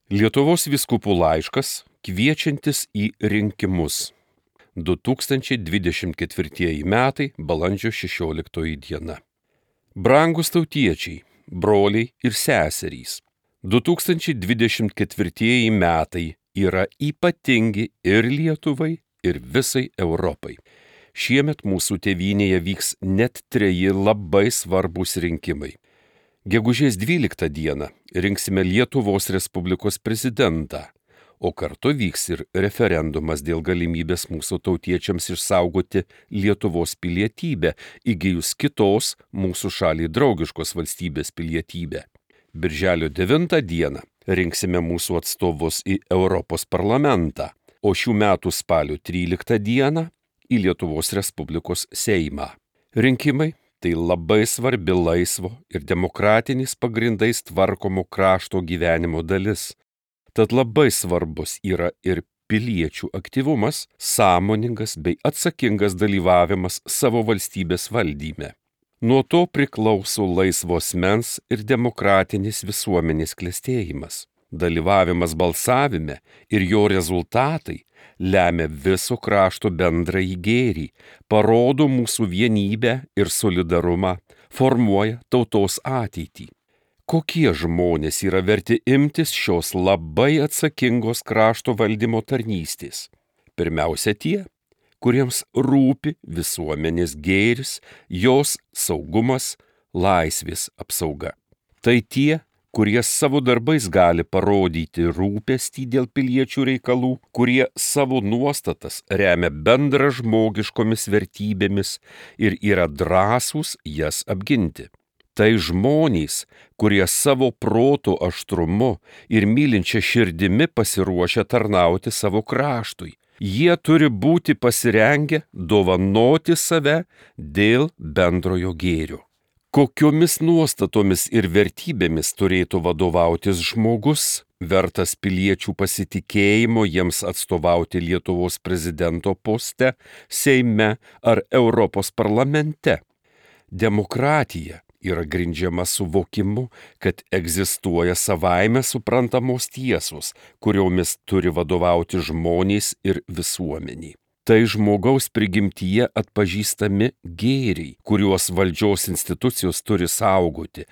Lietuvos vyskupų laiškas kviečiantis į rinkimus. 2024 metai, balandžio 16 diena. Brangūs tautiečiai, broliai ir seserys, 2024 metai yra ypatingi ir Lietuvai, ir visai Europai. Šiemet mūsų tėvynėje vyks net 3 labai svarbūs rinkimai. Gegužės 12 dieną rinksime Lietuvos Respublikos prezidentą, o kartu vyks ir referendumas dėl galimybės mūsų tautiečiams išsaugoti Lietuvos pilietybę, įgijus kitos mūsų šaliai draugiškos valstybės pilietybę. Birželio 9 dieną rinksime mūsų atstovus į Europos parlamentą, o šių metų spalio 13 dieną į Lietuvos Respublikos Seimą. Rinkimai tai labai svarbi laisvo ir demokratiniais pagrindais tvarkomo krašto gyvenimo dalis. Tad labai svarbus yra ir piliečių aktyvumas, sąmoningas bei atsakingas dalyvavimas savo valstybės valdyme. Nuo to priklauso laisvo asmens ir demokratinis visuomenės klestėjimas. Dalyvavimas balsavime ir jo rezultatai lemia viso krašto bendrąjį gėrį, parodo mūsų vienybę ir solidarumą, formuoja tautos ateitį. Kokie žmonės yra verti imtis šios labai atsakingos krašto valdymo tarnystės? Pirmiausia tie, kuriems rūpi visuomenės gėris, jos saugumas, laisvės apsauga. Tai tie, kurie savo darbais gali parodyti rūpestį dėl piliečių reikalų, kurie savo nuostatas remia bendražmogiškomis vertybėmis ir yra drąsūs jas apginti. Tai žmonės, kurie savo proto aštrumu ir mylinčia širdimi pasiruošia tarnauti savo kraštui. Jie turi būti pasirengę dovanoti save dėl bendrojo gėrio. Kokiomis nuostatomis ir vertybėmis turėtų vadovautis žmogus, vertas piliečių pasitikėjimo jiems atstovauti Lietuvos prezidento poste, Seime ar Europos parlamente? Demokratija yra grindžiama suvokimu, kad egzistuoja savaime suprantamos tiesos, kuriomis turi vadovauti žmonės ir visuomeniai. Tai žmogaus prigimtyje atpažįstami gėriai, kuriuos valdžios institucijos turi saugoti.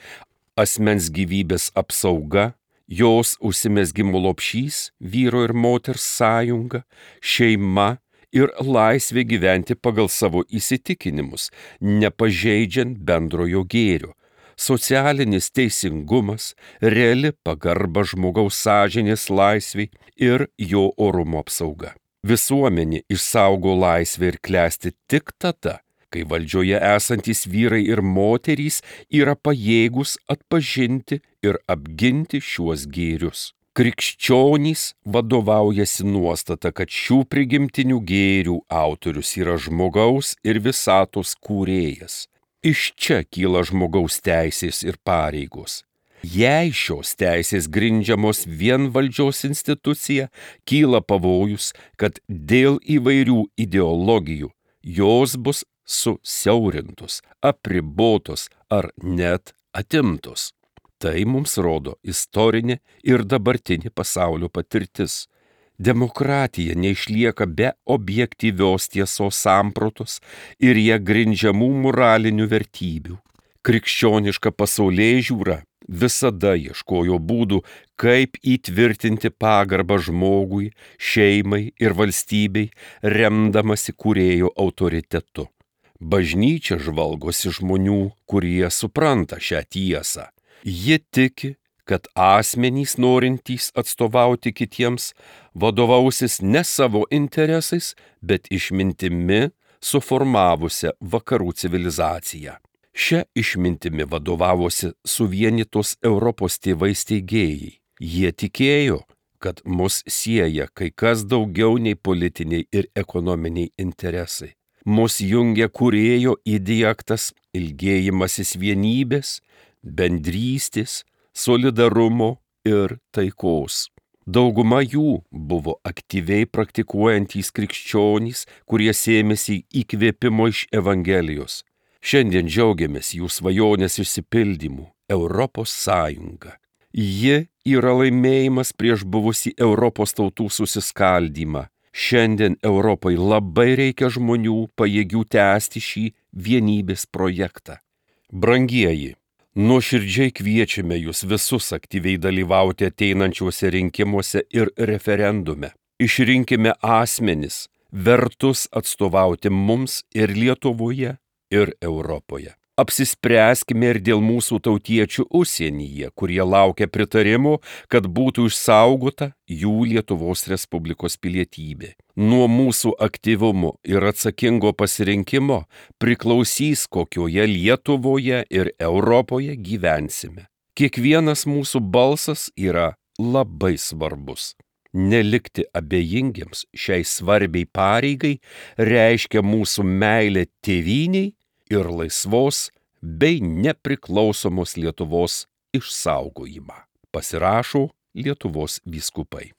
Asmens gyvybės apsauga, jos užsimezgimo lopšys, vyro ir moters sąjunga, šeima ir laisvė gyventi pagal savo įsitikinimus, nepažeidžiant bendrojo gėrio. Socialinis teisingumas, reali pagarba žmogaus sąžinės laisvei ir jo orumo apsauga. Visuomenė išsaugo laisvę ir klesti tik tada, kai valdžioje esantys vyrai ir moterys yra pajėgūs atpažinti ir apginti šiuos gėrius. Krikščionys vadovaujasi nuostata, kad šių prigimtinių gėrių autorius yra žmogaus ir visatos kūrėjas. Iš čia kyla žmogaus teisės ir pareigos. Jei šios teisės grindžiamos vien valdžios institucija, kyla pavojus, kad dėl įvairių ideologijų jos bus susiaurintos, apribotos ar net atimtos. Tai mums rodo istorinė ir dabartinė pasaulio patirtis. Demokratija neišlieka be objektyvios tiesos sampratos ir ją grindžiamų moralinių vertybių. Krikščioniška pasaulėžiūra visada ieškojo būdų, kaip įtvirtinti pagarbą žmogui, šeimai ir valstybei, remdamasi kūrėjo autoritetu. Bažnyčia žvalgosi žmonių, kurie supranta šią tiesą. Ji tiki, kad asmenys norintys atstovauti kitiems vadovausis ne savo interesais, bet išmintimi suformavusią vakarų civilizaciją. Šia išmintimi vadovavosi suvienytos Europos tėvai steigėjai. Jie tikėjo, kad mus sieja kai kas daugiau nei politiniai ir ekonominiai interesai. Mus jungia kūrėjo įdiegtas ilgėjimasis vienybės, bendrystės, solidarumo ir taikos. Dauguma jų buvo aktyviai praktikuojantys krikščionys, kurie sėmėsi įkvėpimo iš Evangelijos. Šiandien džiaugiamės jų svajonės išsipildymu – Europos Sąjunga. Ji yra laimėjimas prieš buvusį Europos tautų susiskaldymą. Šiandien Europai labai reikia žmonių pajėgių tęsti šį vienybės projektą. Brangieji, nuoširdžiai kviečiame jūs visus aktyviai dalyvauti ateinančiuose rinkimuose ir referendume. Išrinkime asmenis, vertus atstovauti mums ir Lietuvoje, ir Europoje. Apsispręskime ir dėl mūsų tautiečių užsienyje, kurie laukia pritarimo, kad būtų išsaugota jų Lietuvos Respublikos pilietybė. Nuo mūsų aktyvumo ir atsakingo pasirinkimo priklausys, kokioje Lietuvoje ir Europoje gyvensime. Kiekvienas mūsų balsas yra labai svarbus. Nelikti abejingiems šiai svarbiai pareigai reiškia mūsų meilę tėvynei ir laisvos bei nepriklausomos Lietuvos išsaugojimą. Pasirašo Lietuvos vyskupai.